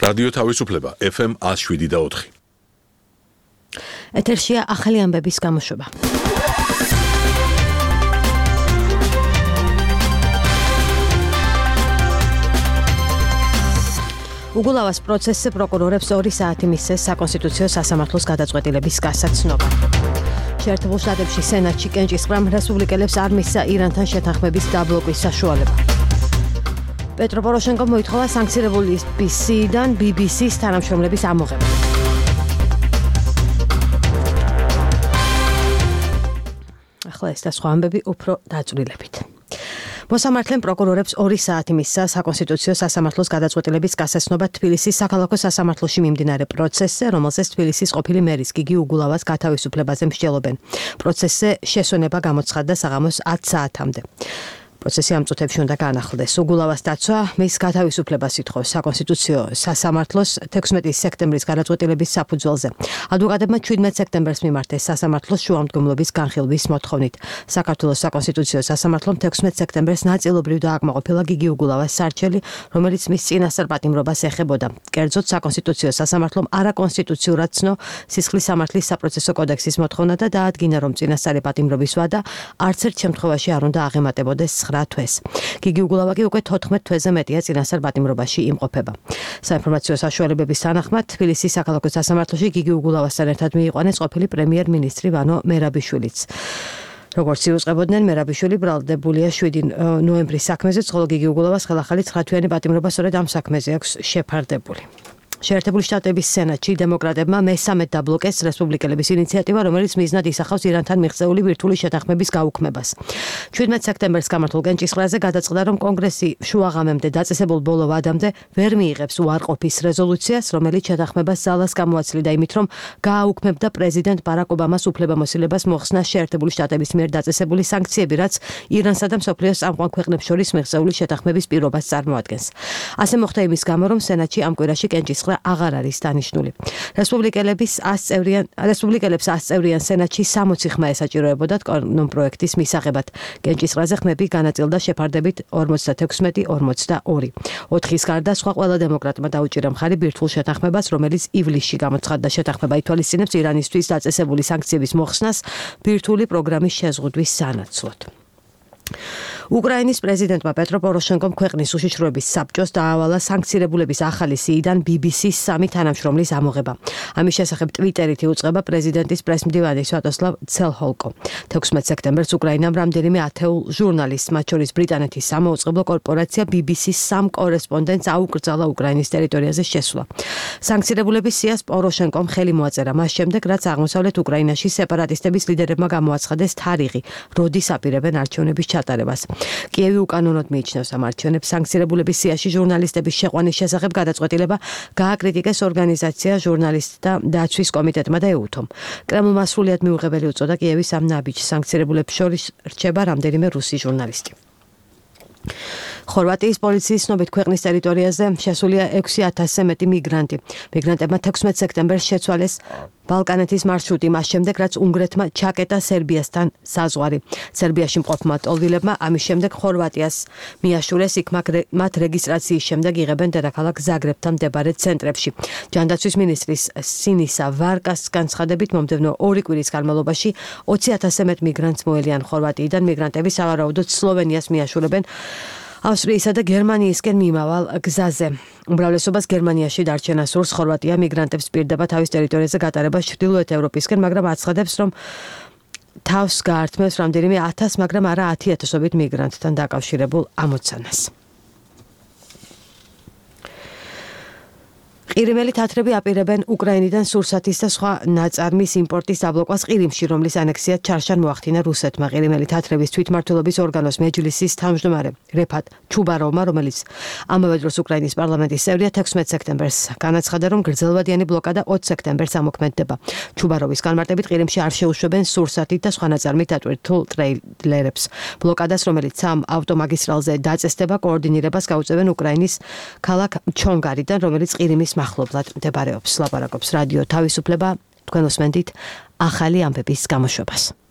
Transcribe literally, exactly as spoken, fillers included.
რადიო თავისუფლება ეფ ემ one oh seven და four. ეთერშია ახალი ამბების გამოშვება. უგულავას პროცესზე პროკურორებს ორი საათი მისცეს საკონსტიტუციო სასამართლოს გადაწყვეტილების გასაცნობა. შეერთებულ შტატებში სენატში კენჭისყრამ რესპუბლიკელებს არ მისცა ირანთან შეთანხმების დაბლოკვის საშუალება. პეტრო პოროშენკომ მოითხოვა სანქცირებული ბი სი-დან ბი ბი სის თანამშრომლების ამოღება. ახლა ეს და სხვა ამბები უფრო დაწვრილებით. მოსამართლემ პროკურორებს ორი საათი მისცა საკონსტიტუციო სასამართლოს გადაწყვეტილების გასაცნობა თბილისის საქალაქო სასამართლოში მიმდინარე პროცესზე, რომელზეც თბილისის ყოფილი მერის გიგი უგულავას გათავისუფლებაზე მსჯელობენ. პროცესზე შესვენება გამოცხადდა საღამოს ათი საათამდე. პროცესი ამ წუთებში უნდა განახლდეს. უგულავას დაცვა მის გათავისუფლებას ითხოვს საკონსტიტუციო სასამართლოს თექვსმეტი სექტემბრის გადაწყვეტილების საფუძველზე. ადვოკატებმა შვიდმეტ სექტემბერს მიმართეს სასამართლოს შუამდგომლობის განხილვის მოთხოვნით. საქართველოს საკონსტიტუციო სასამართლომ თექვსმეტ სექტემბერს ნაწილობრივ დააკმაყოფილა გიგი უგულავას სარჩელი, რომელიც მის წინასწარ პატიმრობას ეხებოდა. კერძოდ საკონსტიტუციო სასამართლომ არაკონსტიტუციურად ცნო სისხლის სამართლის საპროცესო კოდექსის მოთხოვნა და დაადგინა, რომ წინასწარი პატიმრობის ვადა არც ერთ შემთხვევაში არ უნდა აღემატებოდეს თვეს. გიგი უგულავა კი უკვე თოთხმეტ თვეზე მეტია წინასწარ პატიმრობაში იმყოფება. საინფორმაციო საშუალებების თანახმად თბილისის საქალაქო სასამართლოში გიგი უგულავასთან ერთად მიიყვანეს ყოფილი პრემიერ-მინისტრი ვანო მერაბიშვილიც. როგორც იუწყებოდნენ, მერაბიშვილი ბრალდებულია შვიდი ნოემბრის საქმეზე, ხოლო გიგი უგულავას ხელახალი ცხრა თვიანი პატიმრობა სწორედ ამ საქმეზე აქვს შეფარდებული. შეერთებული შტატების სენატში დემოკრატებმა მესამედ დაბლოკეს რესპუბლიკელების ინიციატივა, რომელიც მიზნად ისახავს ირანთან მიღწეული ბირთვული შეთანხმების გაუქმებას. შვიდმეტ სექტემბერს გამართულ კენჭისყრაზე გადაწყდა, რომ კონგრესი შუაღამემდე დაწესებულ ბოლო ვადამდე ვერ მიიღებს უარყოფის რეზოლუციას, რომელიც შეთანხმებას ძალას გამოაცლიდა იმით, რომ გააუქმებდა პრეზიდენტ ბარაკ ობამას უფლებამოსილებას მოხსნა შეერთებული შტატების მიერ დაწესებული სანქციები, რაც ირანსა და მსოფლიოს წამყვან ქვეყნებს შორის მიღწეული შეთანხმების პირობას წარმოადგენს. ასე მოხდა იმის გამო, რომ სენატში ამ კვირაში კენჭისყრა აღარ არის დანიშნული. რესპუბლიკელების ას წევრიან რესპუბლიკელებს ას წევრიან სენატში სამოცი ხმა ესაჭიროებოდათ კანონპროექტის მისაღებად. კენჭისყრაზე ხმები განაწილდა შეფარდებით ორმოცდათექვსმეტი ორმოცდაორი. ოთხის გარდა სხვა ყველა დემოკრატმა დაუჭირა მხარი ბირთვულ შეთანხმებას, რომელიც ივლისში გამოცხადდა. შეთანხმება ითვალისწინებს ირანისთვის დაწესებული სანქციების მოხსნას ბირთვული პროგრამის შეზღუდვის სანაცვლოდ. უკრაინის პრეზიდენტმა პეტრო პოროშენკომ ქვეყნის უშიშროების საბჭოს დაავალა სანქცირებულების ახალი სი-დან ბი ბი სის სამი თანამშრომლის ამოღება. ამის შესახებ ტვიტერით იუწყება პრეზიდენტის პრესმდივანი სვატოსლავ ცელჰოლკო. თექვსმეტ სექტემბერს უკრაინამ რამდენიმე ათეულ ჟურნალისტს, მათ შორის ბრიტანეთის სამაუწყებლო კორპორაცია ბი ბი სის სამ კორესპონდენტს აუკრძალა უკრაინის ტერიტორიაზე შესვლა. სანქცირებულების სიას პოროშენკომ ხელი მოაწერა მას შემდეგ, რაც აღმოსავლეთ უკრაინაში სეპარატისტების ლიდერებმა გამოაცხადეს თარიღი, როდის აპირებენ არჩევნების ჩატარებას. კიევი უკანონოდ მიიჩნევს ამ არჩევნებს. სანქცირებულების სიაში ჟურნალისტების შეყვანის შესახებ გადაწყვეტილება გააკრიტიკეს ორგანიზაცია ჟურნალისტთა დაცვის კომიტეტმა და ეუთომ. კრემლმა სრულიად მიუღებელი უწოდა კიევის ამ ნაბიჯს. სანქცირებულებს შორის რჩება რამდენიმე რუსი ჟურნალისტი. ხორვატიის პოლიციის ცნობით ქვეყნის ტერიტორიაზე შესულია ექვსი ათასზე მეტი მიგრანტი. მიგრანტებმა თექვსმეტ სექტემბერს შეცვალეს ბალკანეთის მარშრუტი მას შემდეგ, რაც უნგრეთმა ჩაკეტა სერბიასთან საზღვარი. სერბიაში მყოფმა ტოლვილებმა ამის შემდეგ ხორვატიას მიაშურეს, იქ მათ რეგისტრაციის შემდეგ იღებენ დედაქალაქ ზაგრებთან მდებარე ცენტრებში. ჯანდაცვის მინისტრის სინისა ვარკას განცხადებით, მომდევნო ორი კვირის განმავლობაში ოცი ათასზე მეტ მიგრანტს მოელიან ხორვატიიდან. მიგრანტები სავარაუდოდ სლოვენიას მიაშურებენ ავსტრიისა და გერმანიისკენ მიმავალ გზაზე. უმრავლესობას გერმანიაში დარჩენა სურს. ხორვატია მიგრანტებს პირდება თავის ტერიტორიაზე გატარებას ჩრდილოეთ ევროპისკენ, მაგრამ აცხადებს, რომ თავს გაართმევს რამდენიმე ათას, მაგრამ არა ათი ათასობით მიგრანტთან დაკავშირებულ ამოცანას. ყირიმელი თათრები აპირებენ უკრაინიდან სურსათის და სხვა ნაწარმის იმპორტის დაბლოკვას ყირიმში, რომლის ანექსია ჩარშან მოახდინა რუსეთმა. ყირიმელი თათრების თვითმმართველობის ორგანოს მეჯლისის თავმჯდომარე რეფატ ჩუბაროვმა, რომელიც ამავე დროს უკრაინის პარლამენტის წევრია, თექვსმეტ სექტემბერს განაცხადა, რომ გრძელვადიანი ბლოკადა ოცი სექტემბერს ამოქმედდება. ჩუბაროვის განმარტებით ყირიმში არ შეუშვებენ სურსათით და სხვა ნაწარმით დატვირთულ ტრეილერებს. ბლოკადას, რომელიც ამ ავტომაგისტრალზე დაწესდება, კოორდინირებას გაუწევენ უკრაინის ქალაქ ჩონგარიდან, რომელიც ყირიმის მახლობლად მდებარეობს. ლაპარაკობს რადიო თავისუფლება. თქვენ უსმენთ ახალი ამბების გამოშვებას.